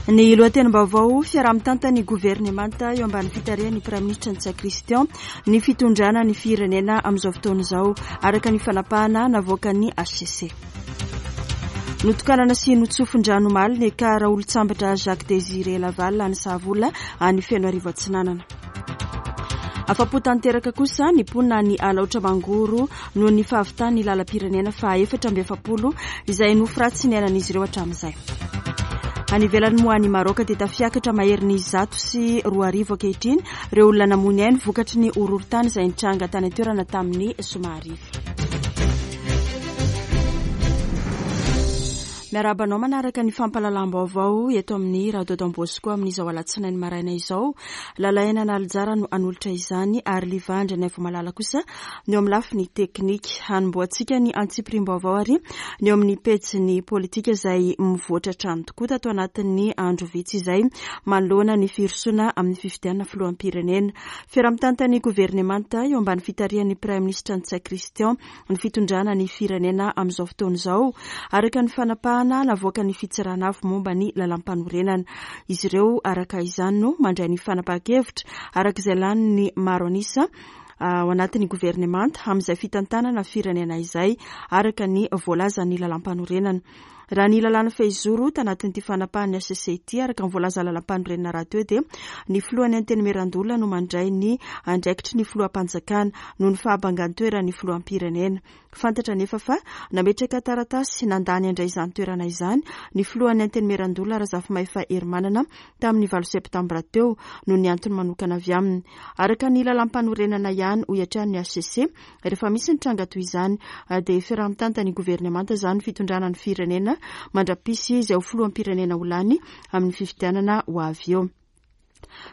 Ny lohatenim-baovao, fiaraha-mitantan'ny governemanta eo ambany fitarihan'ny Praiminisitra Ntsay Christian ny fitondrana ny firenena amin'izao fotoana izao, araka ny fanapahana navoakan'ny hcc. Notokanana sy notsofin-drano omaly ny Ekar Raolotsambatra Jacques Désiré Laval any Sahavola any Fenoarivo Atsinanana. Afa-po tanteraka kosa ny mponina any Alaotra Mangoro noho ny fahavitan'ny lalam-pirenena faha 44 izay nofy ratsy niainan'izy ireo hatramin'izay. Any ivelany moa any Maroka dia tafiakatra maherin'ny 2100 ankehitriny ireo olona namoy ny ainy vokatry ny horohorontany izay nitranga tany an-toerana tamin'ny zoma hariva. Miarahaba anao manaraka ny fampahalalam-baovao eto amin'ny Radio Don Bosco amin'izao alatsinainy maraina izao. Lalaina Analijara no hanolotra izany ary Liva Andrianaivomalala kosa ny eo amin'ny lafiny teknika. Hanombohantsika ny antsipiriam-baovao ary ny eo amin'ny pejin'ny politika izay mivoatra hatrany tokoa tato anatin'ny andro vitsy izay manoloana ny firosoana amin'ny fifidianana filoham-pirenena. Fiaraha-mitantan'ny governemanta eo ambany fitarihan'ny Praiminisitra Ntsay Christian ny fitondrana ny firenena amin'izao fotoana izao, araka ny fanapahana navoakan'ny Fitsarana Avo momba ny Lalàmpanorenana. Izy ireo araka izany no mandray ny fanapahan-kevitra araka izay lanin'ny maro an'isa ao anatin'ny governemanta amin'izay fitantanana firenena izay, araka ny voalazan'ny lalàmpanorenana. Raha ny lalàna fehizoro tanatin'ity fanapahan'ny hcc ity, araka ny voalazan'ny lalàmpanorenana rahateo dia ny filohan'ny Antenimierandoholona no mandray ny andraikitry ny filoham-panjakana noho ny fahabangan-toeran'ny filoham-pirenena. Fantatra anefa fa nametraka taratasy nandà ny handray izany toerana izany ny filohan'ny Antenimierandoholona Razafimahefa Herimanana tamin'ny valo septambra teo noho ny antony manokana avy aminy. Araka ny lalàmpanorenana ihany, hoy hatrany ny hcc, Rehefa misy ny tranga toy izany dia fiaraha-mitantan'ny governemanta izany ny fitondrana ny firenena mandra-pisy izay ho filoham-pirenena ho lany amin'ny fifidianana ho avy eo.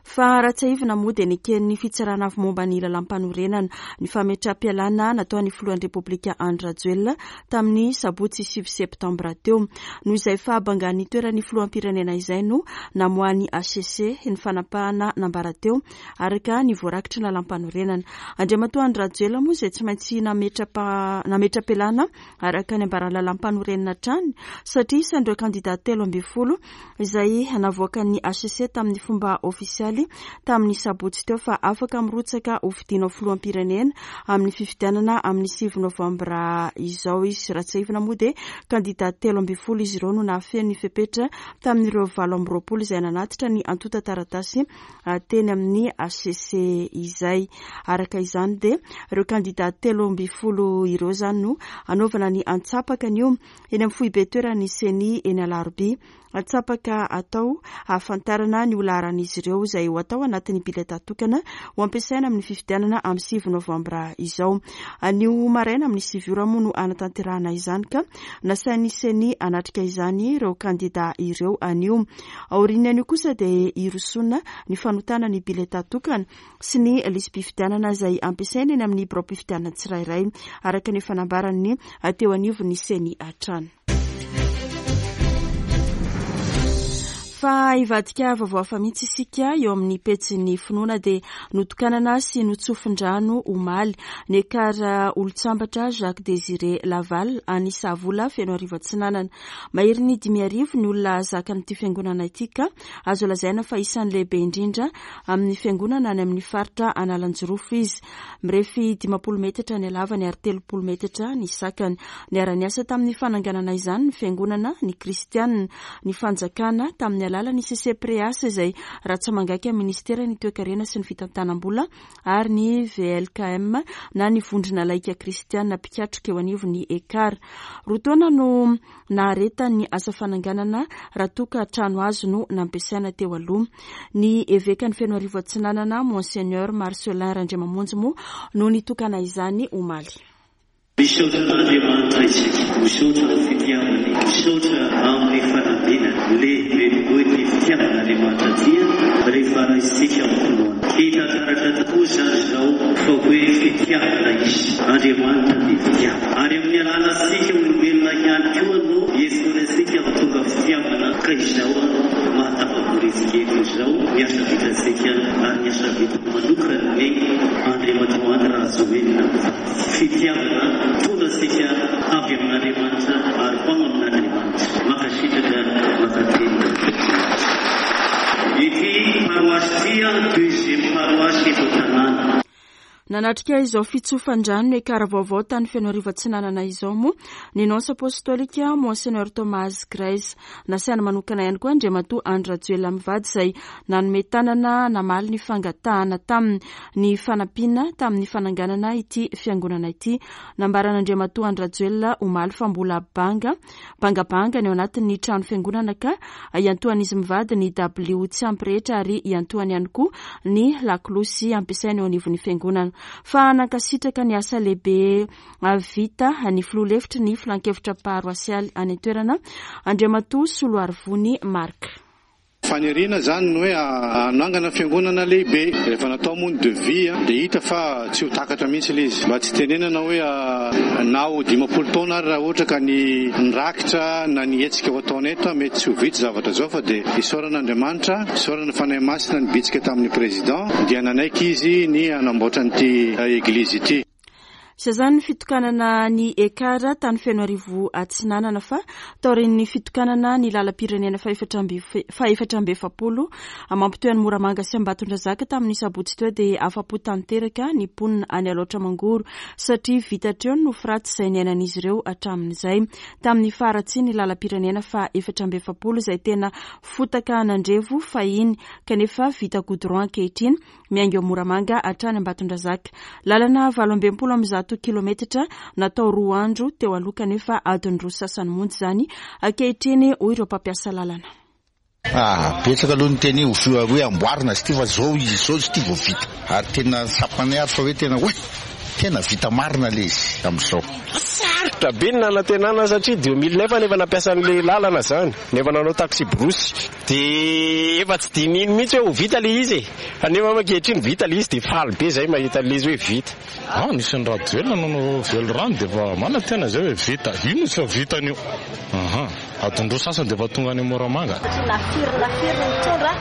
Fa raha tsiahivina moa dia neken'ny Fitsarana Avo momba ny Lalàmpanorenana ny fametraham-pialana nataon'ny filohan'ny Repoblika Andry Rajoelina tamin'ny sabotsy sivy septambra teo. Noho izay fahabangan'ny toeran'ny filoham-pirenena izay no namoahan'ny hcc ny fanapahana nambara teo araka ny voarakitry ny lalàmpanorenana. Andriamatoa Andry Rajoelina moa izay tsy maintsy nametra-pialana araka ny ambaran'ny lalàmpanorenana hatrany satria isan'ireo kandida 13 izay navoakan'ny hcc tamin'ny fomba ofisialy tamin'ny sabotsy teo fa afaka mirotsaka ho fidiana ho filoham-pirenena amin'ny fifidianana amin'ny sivy novambra izao izy. Raha tsiahivina moa dia kandida 13 izy ireo no nahafeno ny fepetra tamin'ireo 28 izay nanatitra ny antontan-taratasy teny amin'ny hcc izay. Araka izany dia ireo kandida 13 ireo izany no hanaovana ny antsapaka anio eny amin'ny foibe toeran'ny Ceni eny Alarobia. Antsapaka atao hahafantarana ny ho laharan'izy ireo izay ho atao anatin'ny bileta tokana ho ampiasaina amin'ny fifidianana amin'ny sivy novambra izao. Anio maraina amin'ny sivy ora moa no hanatanterahana izany ka nasain'ny Ceni hanatrika izany ireo kandida ireo anio. Aorian'ny anio kosa dia hirosoana ny fanotana ny biletà tokana sy ny lisi-pifidianana izay ampiasaina eny amin'ny biraom-pifidianana tsirairay, araka ny efa nambaran'ny teo anivon'ny Ceni hatrany. Fa hivadika vaovao hafa mihitsy isika eo amin'ny pejin'ny finoana dia notokanana sy notsofin-drano omaly ny Ekar Olontsambatra Jacques Désiré Laval any Sahavola Fenoarivo Atsinanana. Maherin'ny 5000 ny olona zakan'ity fiangonana ity ka azo lazaina fa isan'ny lehibe indrindra amin'ny fiangonana any amin'ny faritra Analanjirofo izy. Mirefy 50 metatra ny halavany ary 30 metatra ny sakany. Niara-niasa tamin'ny fananganana izany ny fiangonana, ny kristianina, ny fanjakana tamin'ny alalan'ny CCPREAS izay ratsa-mangaika ministeran'ny toekarena sy ny fitantanam-bola ary ny VLKM na ny Vondrona Laika Kristiana Mpikatroka eo anivon'ny Ekar. Roa taona no naharetan'ny asa fananganana raha toa ka trano hazo no nampiasaina teo aloha. Ny Evekan'i Fenoarivo Atsinanana, Monseigneur Marcellin Randriamamonjy moa no nitokana izany omaly. Misaotra an'Andriamanitra isika, misaotra amin'ny fitiavany, misaotra amin'ny fanambinany. Lehibe tokoa ity fitiavan'Andriamanitra ity rehefa raisintsika amin'ny finoana. Hita taratra tokoa izany izao fa hoe fitiavana Izy. Andriamanitra dia fitiavana. Ary amin'ny alalantsika olombelona ihany koa no iantsoany antsika ho tonga fitiavana ka izao mahatafavory antsika eto izao ny asa vitantsika ary ny asa vitako manokan'ny Andriamatoa Andry Rajoelina mivady. Fitiavana mitondra antsika avy amin'Andriamanitra ary ho ao amin'Andriamanitra. Mankasitraka, mankatelina. deuxième paroisse eto an-tanàna. Nanatrika izao fitsofan-drano ny ekara vaovao tany Fenoarivo Atsinanana izao moa ny Nonce Apostolika Monseigneur Thomas Grace. Nasaina manokana ihany koa Andriamatoa Andry Rajoelina mivady izay nanome tanana namaly ny fangatahana taminy ny fanampiana tamin'ny fananganana ity fiangonana ity. Nambaran'Andriamatoa Andry Rajoelina omaly fa mbola banga bangabanga ny ao anatin'ny trano fiangonana ka iantohan'izy mivady ny dabilio tsy ampy rehetra ary iantohany ihany koa ny lakolosy ampiasaina eo anivon'ny fiangonana. Fa nankasitraka ny asa lehibe vita ny filoha lefitry ny filankevitra paroasialy any an-toerana, Andriamatoa Soloarivony Marc. Faniriana izany ny hoe hanangana fiangonana lehibe. Rehefa natao moa ny devis dia hita fa tsy ho takatra mihitsy ilay izy. Mba tsy hitenenana hoe na ho 50 taona ary raha ohatra ka ny rakitra na ny hetsika ho ataonay eto mety tsy ho vita zavatra izao fa dia isaorana Andriamanitra, isaorana Fanahy Masina nibitsika tamin'ny Président dia nanaiky izy ny hanamboatra an'ity Eglizy ity. Izay izany ny fitokanana ny Ekar tany Fenoarivo Atsinanana fa taorian'ny fitokanana ny lalam-pirenena faha-44 mampitohy an'i Moramanga sy Ambatondrazaka tamin'ny sabotsy teo dia afa-po tanteraka ny mponina any Alaotra Mangoro satria vita hatreo ny nofy ratsy izay niainan'izy ireo hatramin'izay tamin'ny faharatsian'ny lalam-pirenena faha-44 izay tena fotaka nandrevo fahiny kanefa vita goudron ankehitriny miainga eo Moramanga hatrany Ambatondrazaka. Lalana 168 kilometatra natao roa andro teo aloha kanefa adiny roa sasany monja izany ankehitriny hoy ireo mpampiasa lalana. Ah, betsaka aloha ny teny hoe hoe amboarina izy ity fa zao izy zao izy ity vao vita. Ary tena tsapanay ary fa hoe tena hoe tena vita marina ilay izy amin'izao. Sarotra be ny nanantenana satria 2000 nefa efa nampiasa an'ilay lalana izany, nefa nanao taxi brousse. Dia efa tsy dinihiny mihitsy hoe ho vita ilay izy e! Fa nefa ankehitriny vita ilay izy dia faly be izahay mahita an'ilay izy hoe vita. Ah, nisy an'i Rajoelina nanao velirano dia efa manantena izay hoe vita. Io no tsy efa vitany io. Aha. Adiny roa sasany dia efa tonga any Moramanga. Satria na firy na firy ny nitondra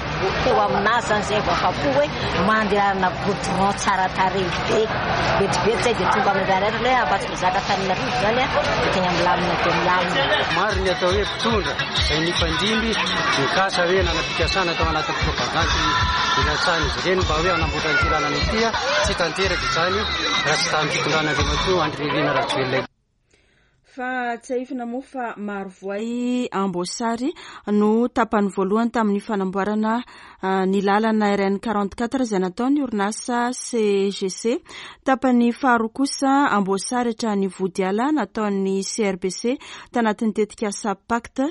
teo aminazy zany zay vao afapo hoe mandehanana goudron tsara tarehy be. Vetivety zay dia tonga amin'ny Antananarivo hoe Ambatondrazaka Antananarivo zany dia tegna milamina dia milamina. Maro ny atao hoe mpitondra izay nifandimby nikasa hoe nanam-pikasana tao anatin'ny propagandy nilatsahan'izy ireny mba hoe hanamboatra an'ity lalana ity. Tsy tanteraka izany raha tsy tamin'ny fitondran'Andriamatoa Andry Nirina Rajoelina ity. Fa tsiahivina moa fa Marovoay Amboasary no tapany voalohany tamin'ny fanamboarana ny lalana RN 44 izay nataon'ny orinasa CGC. Tapany faharoa kosa Amboasary hatrany Vodiala nataon'ny CRBC tanatin'ny tetikasa Pacte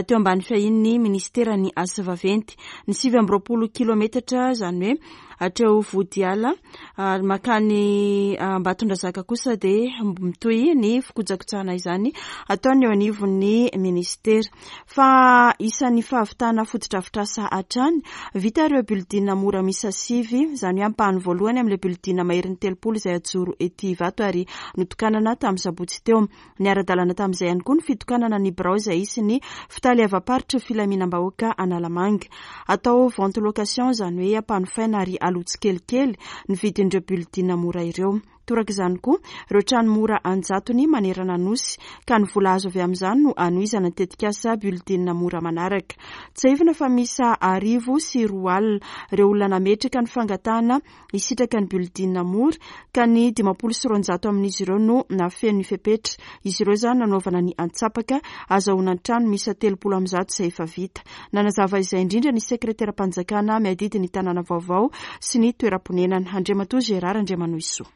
teo ambany fiahian'ny minisiteran'ny Asa Vaventy. Ny 29 kilometatra izany hoe hatreo Vodiala ary mankany Ambatondrazaka kosa dia mitohy ny fikojakojana izany ataon'ny eo anivon'ny minisitera. Fa isan'ny fahavitana fotodrafitrasa hatrany, vita ireo building mora miisa sivy, izany hoe ampahany voalohany amin'ilay building maherin'ny 30 izay hajoro ety Ivato ary notokanana tamin'ny sabotsy teo. Niara-dalana tamin'izay ihany koa ny fitokanana ny birao izay hisy ny fitaleavam-paritry filaminam-bahoaka Analamanga. Atao vente location izany hoe ampanofaina ary aloa tsikelikely ny vidin'ireo building mora ireo. Toraka izany koa ireo trano mora an-jatony manerana Nosy ka ny vola azo avy amin'izany no hanohizana ny tetikasa building mora manaraka. Tsiahivina fa miisa 1100 ireo olona nametraka ny fangatahana hisitraka ny building mora ka ny 250 amin'izy ireo no nahafeno ny fepetra. Izy ireo izany nanaovana ny antsapaka azahoana ny trano miisa 330 izay efa vita. Nanazava izay indrindra ny sekreteram-panjakana miadidy ny tanàna vaovao sy ny toeram-ponenana, Andriamatoa Gérard Andriamanohisoa.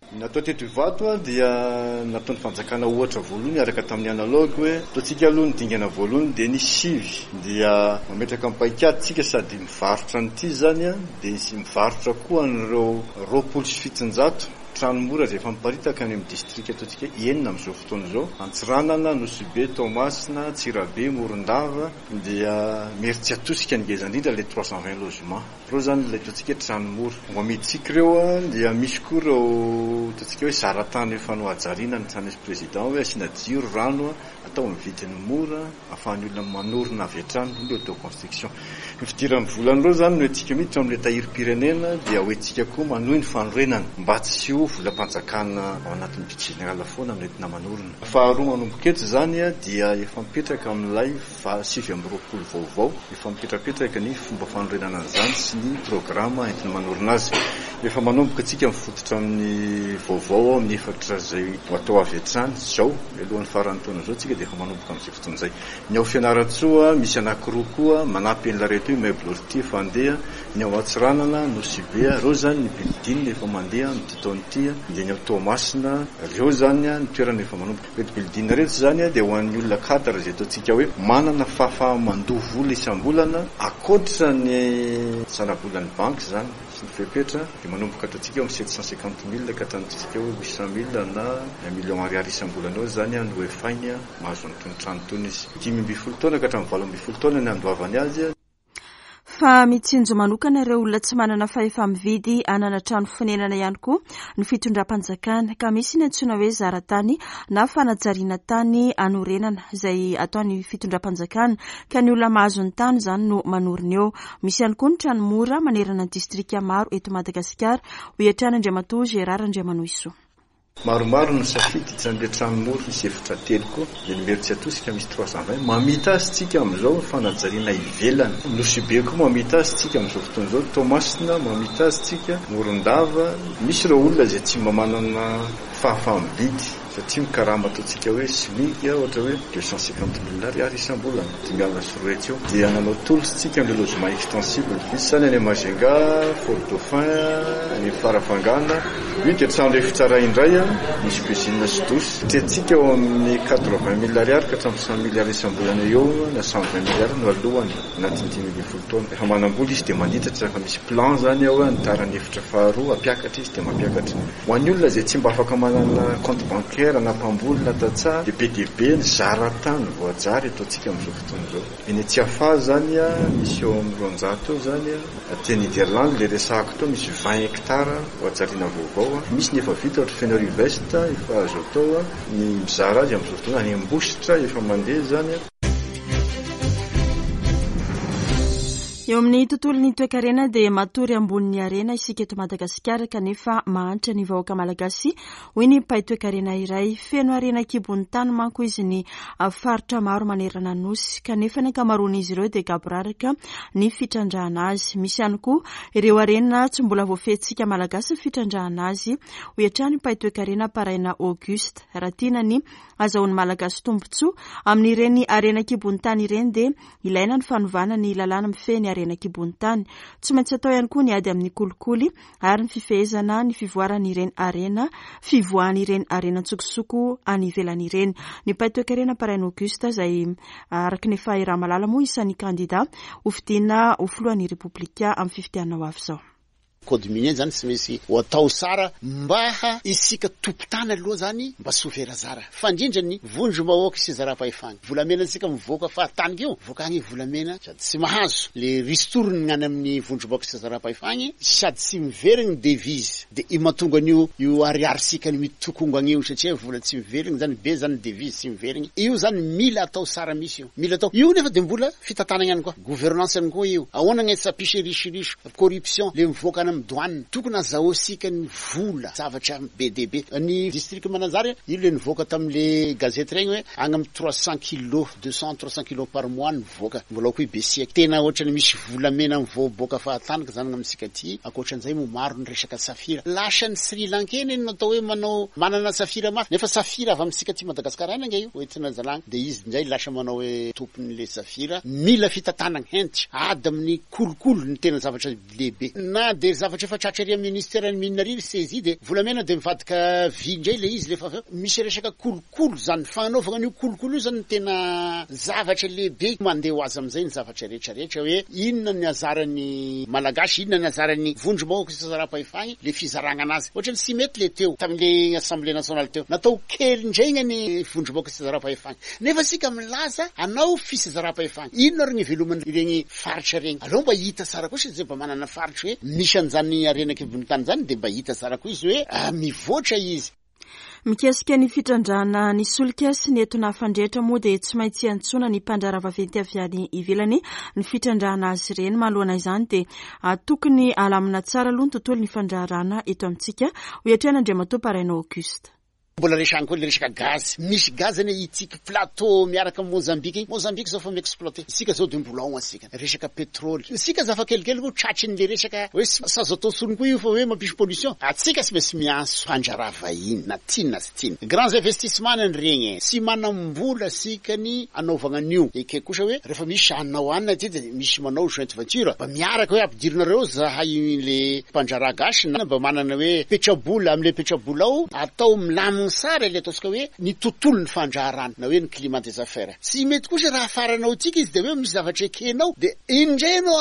Ny natao teto Ivato dia nataon'ny fanjakana ohatra voalohany niaraka tamin'ny analogue hoe ataontsika aloha ny dingana voalohany dia ny sivy dia mametraka ny paikady tsika sady mivarotra an'ity izany dia mivarotra koa an'ireo 720 trano mora izay efa miparitaka any amin'ny distrika ataontsika enina amin'izao fotoana izao, Antsiranana, Nosy Be, Toamasina, Antsirabe, Morondava dia Imerintsiatosika ny ngeza indrindra ilay 320 logements. Ireo izany ilay ataontsika hoe trano mora. Ho amidintsika ireo dia misy koa ireo ataontsika hoe zaratany efa nohajariana ny trano misy président hoe asiana jiro, rano, atao amin'ny vidiny mora ahafahan'ny olona manorina avy hatrany, io ilay autoconstruction. Ny fidiran'ny volan'ireo izany no entintsika miditra ao amin'ilay tahirim-pirenena dia ho entintsika koa manohy ny fanorenana mba tsy ho volam-panjakana ao anatin'ny budget général foana no entina manorina. Faharoa manomboka eto izany dia efa mipetraka amin'ilay 29 vaovao, efa mipetrapetraka ny fomba fanorenana an'izany sy ny programa entina manorina azy. Efa manomboka isika mifototra amin'ny vaovao ao amin'ny efatra izay ho atao avy hatrany izao, mialohan'ny faran'ny taona izao isika dia efa manomboka amin'izay fotoana izay. Ny ao Fianarantsoa misy anankiroa koa manampy an'ilay reto immeuble ortie efa handeha, ny ao Antsiranana, Nosy Be, ireo izany ny building efa mandeha amin'ity taona ity, dia ny ao Toamasina, ireo izany ny toerana efa manomboka. Ireto building ireto izany dia ho an'ny olona cadre izay ataontsika hoe manana fahafaha-mandoa vola isam-bolana ankoatra ny zanabolan'ny banky izany sy ny fepetra dia manomboka ataontsika eo amin'ny 750 mille ka hatramin'ny ataontsika hoe 800 mille na un million ariary isam-bolana eo izany no efainy. Mahazo an'itony trano itony izy. 15 taona ka hatramin'ny 18 taona ny handoavany azy. Fa mitsinjo manokana ireo olona tsy manana fahefa-mividy hanana trano fonenana ihany koa ny fitondram-panjakana, ka misy ny antsoina hoe zara-tany na fanajariana tany hanorenana izay ataon'ny fitondram-panjakana, ka ny olona mahazo ny tany izany no manorina eo. Misy ihany koa ny trano mora manerana ny distrika maro eto Madagasikara, hoy hatrany Andriamatoa Gérard Andriamanohisoa. Maromaro ny safidy, isan'ireo trano mora misy efitra telo koa, dia ny Imerintsiatosika misy 320, mamita azy tsika amin'izao ny fanajariana ivelany, Nosy Be koa mamita azy tsika amin'izao fotoana izao, Toamasina mamita azy tsika, Morondava, misy ireo olona izay tsy mba manana fahafaha-mividy satria mikarama ataontsika hoe smic ohatra hoe 250 mille ariary isam-bolana. 250 eo dia nanao tolotra isika amin'ireo logement extensible. Misy izany any Majunga, Fort Dauphin, any Farafangana. Io dia trano efitra iray indray, misy cuisine sy douche. Tiantsika eo amin'ny 80 mille ariary ka hatramin'ny 100 mille ariary isam-bolana eo na 120 mille ariary no alohany anatin'ny 15 taona. Rehefa manam-bola izy dia manitatra, rehefa misy plan izany ao hoe hanitarany efitra faharoa, hampiakatra izy dia mampiakatra. Ho an'ny olona izay tsy mba afaka manana compte bancaire na mpamboly na tantsaha dia be dia be ny zaratany voajary eto antsika amin'izao fotoana izao. Eny Tsiafahy izany misy eo amin'ny 200 eo izany, aty Nederland ilay resahako teo misy 20 hectares voajariana vaovao, misy ny efa vita ohatra Fenoarivo Est efa azo atao ny mizara azy amin'izao fotoana, any Ambositra efa mandeha izany. Eo amin'ny tontolon'ny toekarena dia matory ambonin'ny harena isika eto Madagasikara kanefa mahantra ny vahoaka malagasy, hoy ny mpahay toekarena iray. Feno harena an-kibon'ny tany manko izy ny faritra maro manerana ny Nosy kanefa ny ankamaroan'izy ireo dia gaboraraka ny fitrandrahana azy. Misy ihany koa ireo harena tsy mbola voafehintsika malagasy ny fitrandrahana azy, hoy hatrany ny mpahay toekarena Paraina Auguste. Raha tiana ny azahoan'ny Malagasy tombontsoa amin'ireny harena an-kibon'ny tany ireny dia ilaina ny fanovana ny lalàna mifehy ny harena an-kibon'ny tany. Tsy maintsy atao ihany koa ny ady amin'ny kolikoly ary ny fifehezana ny fivoaran'ireny harena fivoahan'ireny harena an-tsokosoko any ivelany ireny. Ny mpahay toekarena Paraina Auguste izay araka ny efa iaraha-mahalala moa isan'ny kandida hofidiana ho filohan'ny Repoblika amin'ny fifidianana ho avy izao. Code minier zany tsy maintsy ho atao tsara mba isika tompon-tany aloha zany mba tsy ho very zara fa indrindra ny vondrom-bahoaka sy zara-pahefana. Volamena antsika mivoaka fahatany keo mivoaka agny volamena sady tsy mahazo le ristourne ny any amin'ny vondrom-bahoaka sy zara-pahefagny sady tsy miverigny devise de io mahatonga an'io io ariary-tsika ny mitokongo agny io satria vola tsy miverigny zany be zany devise tsy miverigny io zany mila atao tsara misy io mila atao io nefa de mbola fitantanagna ihany koa gouvernance ihany koa io ahoana ny tsy hampisy risoriso Corruption le mivoaka any amin'ny douane tokony azahoasika ny vola zavatra be dia be ny district Mananjary io le nivoaka tamin'le gazety regny hoe agny amin'ny 300 kilos 200 300 kilos par mois nivoaka mbola ao koa i Besiaky tena ohatrany misy volamena mivoaboaka fahatany ka zany amintsika aty ankoatran'izay moa maro ny resaka safira lasa ny Sri Lankais ne no atao hoe manao manana safira mafy nefa safira avy amintsika aty Madagascar any ange io hoentina zalagny de izy ndray lasa manao hoe tompon'le safira mila fitantanagna hentitra ady amin'ny Kolikoly no tena zavatra lehibe. Na dia zavatra efa tratra ery amin'ny ministeran'ny mines ery ry saisie dia volamena dia mivadika vy indray ilay izy rehefa avy eo. Misy resaka kolikoly izany. Fanaovana an'io kolikoly io izany no tena zavatra lehibe. Mandeha ho azy amin'izay ny zavatra rehetra rehetra hoe inona ny azaran'ny Malagasy, inona ny azaran'ny vondrom-bahoaka isan-tsaram-pahefana, ilay fizaragna anazy. Ohatran'ny tsy mety ilay teo tamin'ilay Assemblée nationale teo. Natao kely indray ny vondrom-bahoaka isan-tsaram-pahefana. Nefa isika milaza hanao fitsinjaram-pahefana. Inona ary ny iveloman'ireny faritra ireny? Aleo mba hita tsara kosa izay mba manana faritra hoe misy an'izany harena an-kibon'ny tany izany dia mba hita tsara koa izy hoe mivoatra izy. Mikasika ny fitrandrahana ny solika sy ny etona fandrehitra moa dia tsy maintsy iantsoana ny mpandraharaha vaventy avy any ivelany ny fitrandrahana azy ireny. Manoloana izany dia tokony alamina tsara aloha ny tontolon'ny fandraharahana eto amintsika, hoy hatrany Andriamatoa Paraina Auguste. Mbola resahiny koa le resaka gaz. Misy gaz anie itsika plateau miaraka am Mozambique iny. Mozambique zao fa mi-exploiter. Isika zao de mbola ao antsika. Resaka petrole. Isika aza fa kelikely koa tratry ny le resaka hoe tsy azo atao tsony koa io fa hoe mampisy pollution. Atsika tsy maintsy miantso mpandraharaha vahiny na tiany na tsy tiany. Grands investissements ny an'regny e. Tsy manam-bola sika ny anaovagna an'io. Ekeko kosa hoe rehefa misy hanao anona aty de misy manao joint venture mba miaraka hoe ampidirinareo zahay le mpandraharaha gasy na mba manana hoe petrabola amle petrabola ao atao milamigny tsara le ataontsika hoe ny tontolon'ny fandraharahana na hoe ny climat des affaires. Tsy mety kosa raha afaranao tsika izy de hoe misy zavatra ekenao de iny ndray ianao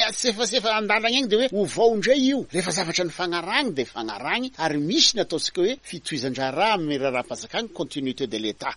asefasefa andalagna egny de hoe ovao ndray io. Rehefa zavatra nifagnarahagny de fagnarahagny ary misy ny ataontsika hoe fitohizan-draharaha amin'ny raharaham-panjakagna, continuité de l'Etat.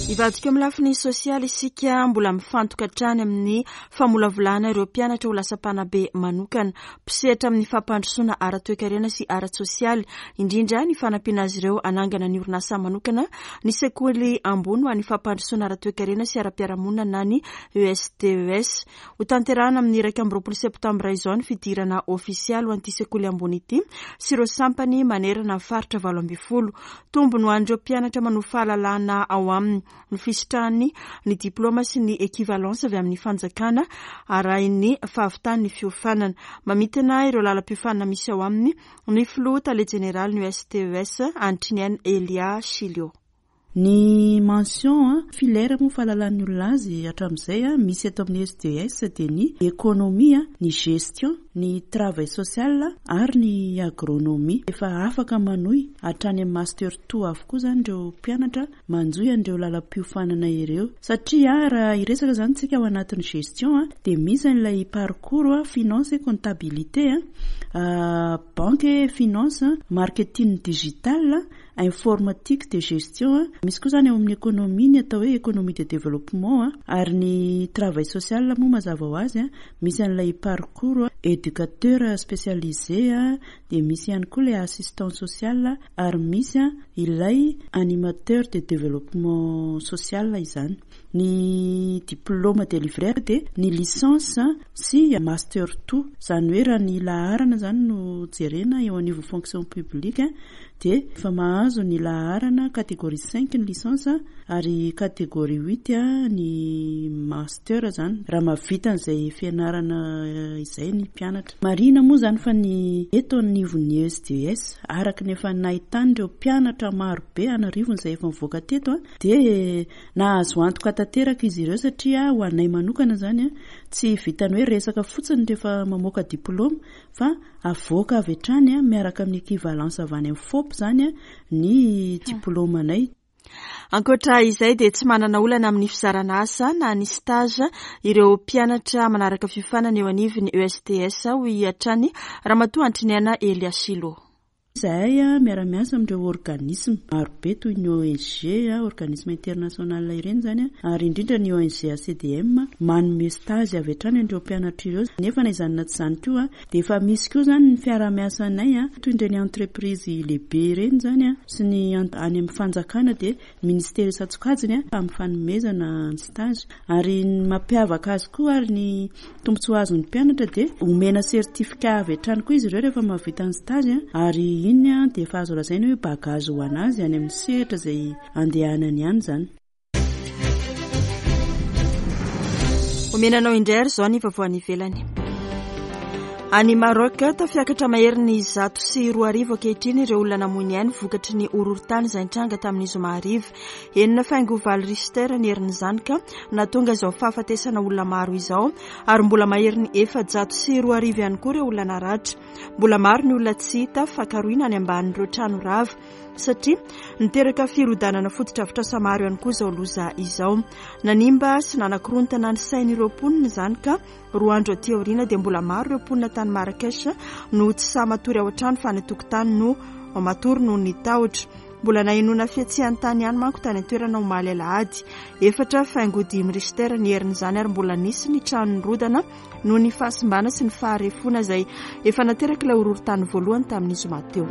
Hivadika amin'ny lafiny sosialy isika, mbola mifantoka hatrany amin'ny famolavolana ireo mpianatra ho lasa mpanabe manokana, mpisehatra amin'ny fampandrosoana ara-toekarena sy ara-tsosialy, indrindra ny fanampiana azy ireo hanangana ny orinasa manokana, ny sekoly ambony ho an'ny fampandrosoana ara-toekarena sy ara-piarahamonina na ny ESDES. Hotanterahina amin'ny 21 septambra izao ny fidirana ofisialy ho an'ity sekoly ambony ity sy ireo sampany manerana ny faritra 18. Tombony ho an'ireo mpianatra manovo fahalalana ao aminy ny fisitrahany ny diplaoma sy ny equivalence avy amin'ny fanjakana arahin'ny fahavitan'ny fiofanana. Mamintina ireo lalam-piofanana misy ao aminy ny filoha tale jeneralin'ny USTES, Antriniaina Elia Chilio. Ny mention, filaire moa fahalalan'ny olona azy hatramin'izay, misy eto amin'ny SDES dia ny économie, ny gestion, ny travail social ary ny agronomie. Efa afaka manohy hatrany amin'ny master two avokoa izany ireo mpianatra manjohy an'ireo lalam-piofanana ireo. Satria raha hiresaka izany isika ao anatin'ny gestion dia misy an'ilay parcours finance et comptabilité, banque et finance, marketing digital, informatique de gestion, misy koa izany ao amin'ny économie ny atao hoe économie de développement ary ny travail social moa mazava ho azy misy an'ilay parcours éducateur spécialisé dia misy ihany koa ilay assistant social ary misy ilay animateur de développement social izany. Ny diplôme délivré dia ny licence sy master two, izany hoe raha ny laharana izany no jerena eo anivon'ny fonction publique dia efa mahazo ny laharana catégorie cinq ny licence ary catégorie huit ny master izany raha mahavita an'izay fianarana izay ny mpianatra. Marihina moa izany fa ny eto anivon'ny ESDS araka ny efa nahitan'ireo mpianatra maro be an'arivony izay efa nivoaka teto dia nahazo antoka tanteraka izy ireo satria ho anay manokana izany tsy vitan'ny hoe resaka fotsiny rehefa mamoaka diplaoma fa avoaka avy hatrany miaraka amin'ny equivalence avy any amin'ny FOP izany ny diplaomanay. Ankoatra izay dia tsy manana olana amin'ny fizarana asa na ny stage ireo mpianatra manaraka fiofanana eo anivon'ny ESTS, hoy hatrany Ramatoa Antriniaina Elia Silo. Izahay miara-miasa amin'ireo organisme marobe toy ny ONG, organisme international ireny izany, ary indrindra ny ONG ACDM manome stage avy hatrany an'ireo mpianatra ireo. Nefa na izany na tsy izany koa dia efa misy koa izany ny fiaraha-miasanay toy ireny entreprise lehibe ireny izany sy ny any amin'ny fanjakana dia Ministera isan-tsokajiny amin'ny fanomezana ny stage. Ary ny mampiavaka azy koa ary ny tombontsoa azon'ny mpianatra dia omena certificat avy hatrany koa izy ireo rehefa mahavita ny stage ary iny dia efa azo lazaina hoe bagage ho an'azy any amin'ny sehatra izay andehanany any izany. Omena anao indray ary izao ny vaovao any ivelany. Any Maroc, tafiakatra maherin'ny 2100 ankehitriny ireo olona namoy ny ainy vokatry ny horohorontany izay nitranga tamin'ny zoma hariva. Enina faingo valo Richter ny herin'izany ka nahatonga izao fahafatesana olona maro izao ary mbola maherin'ny 2400 ihany koa ireo olona naratra. Mbola maro ny olona tsy hita fa karohina any ambanin'ireo trano rava satria niteraka firodanana fotodrafitrasa maro ihany koa izao loza izao. Nanimba sy nanakorontana ny sain'ireo mponina izany ka Roa andro aty aoriana dia mbola maro ireo mponina tany Marrakech no tsy sahy matory ao an-trano fa any an-tokotany no matory noho ny tahotra. Mbola nahenoana fihetsehan-tany ihany manko tany an-toerana omaly alahady. 4,5 Richter ny herin'izany ary mbola nisy ny trano nirodana noho ny fahasimbana sy ny faharefoana izay efa naterak'ilay horohorontany voalohany tamin'ny zoma teo.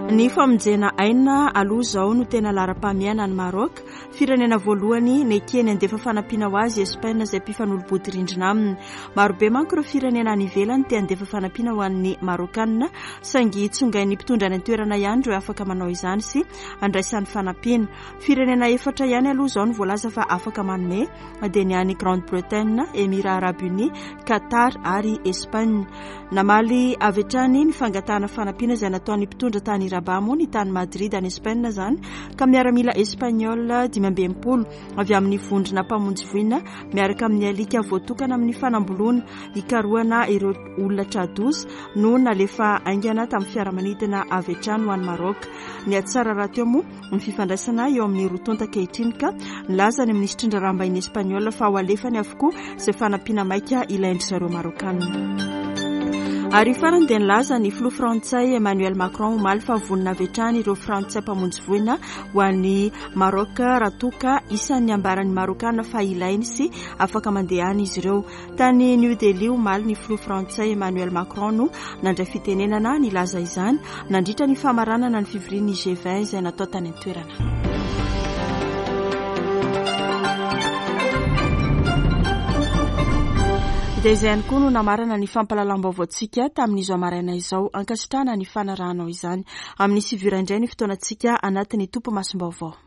Ny famonjena aina aloha izao no tena laharam-pahamehana any Maroc. Firenena voalohany nekeny handefa fanampiana ho azy Espaina izay mpifanolo-bodirindrina aminy. Marobe manko ireo firenena any ivelany te handefa fanampiana ho an'ny Marokanina saingy tsongain'ny mpitondra any an-toerana ihany ireo afaka manao izany sy andraisany fanampiana. Firenena efatra ihany aloha izao no voalaza fa afaka manome dia ny any Grande Bretagne, Emirats Arabes Unis, Qatar ary Espagne. Namaly avy hatrany ny fangatahana fanampiana izay nataon'ny mpitondra tany Rabat moa ny tany Madrid any Espagne izany ka miaramila espagnol 65 avy amin'ny vondrona mpamonjy voina miaraka amin'ny alika voatokana amin'ny fanamboloana hikarohana ireo olona tra-doza no nalefa haingana tamin'ny fiaramanidina avy hatrany ho any Maroc. Nihatsara rahateo moa ny fifandraisana eo amin'ny roa tonta ankehitriny ka nilaza ny minisitry ny raharaham-bahiny espaniola fa ho alefany avokoa izay fanampiana maika ilain-dry zareo Marokanina. Ary farany dia nilaza ny filoha frantsay Emmanuel Macron omaly fa vonona avy hatrany ireo frantsay mpamonjy voina ho an'i Maroc raha toa ka isan'ny ambaran'ny Marokana fa ilainy sy afaka mandeha any izy ireo. Tany New Delhi omaly ny filoha frantsay Emmanuel Macron no nandray fitenenana nilaza izany nandritra ny famaranana ny fivorian'ny G20 izay natao tany an-toerana. Dia izay ihany koa no namarana ny fampahalalam-baovaontsika tamin'izao maraina izao. Ankasitrahana ny fanarahanao izany. Amin'ny sivy ora indray ny fotoanantsika anatin'ny topimasom-baovao.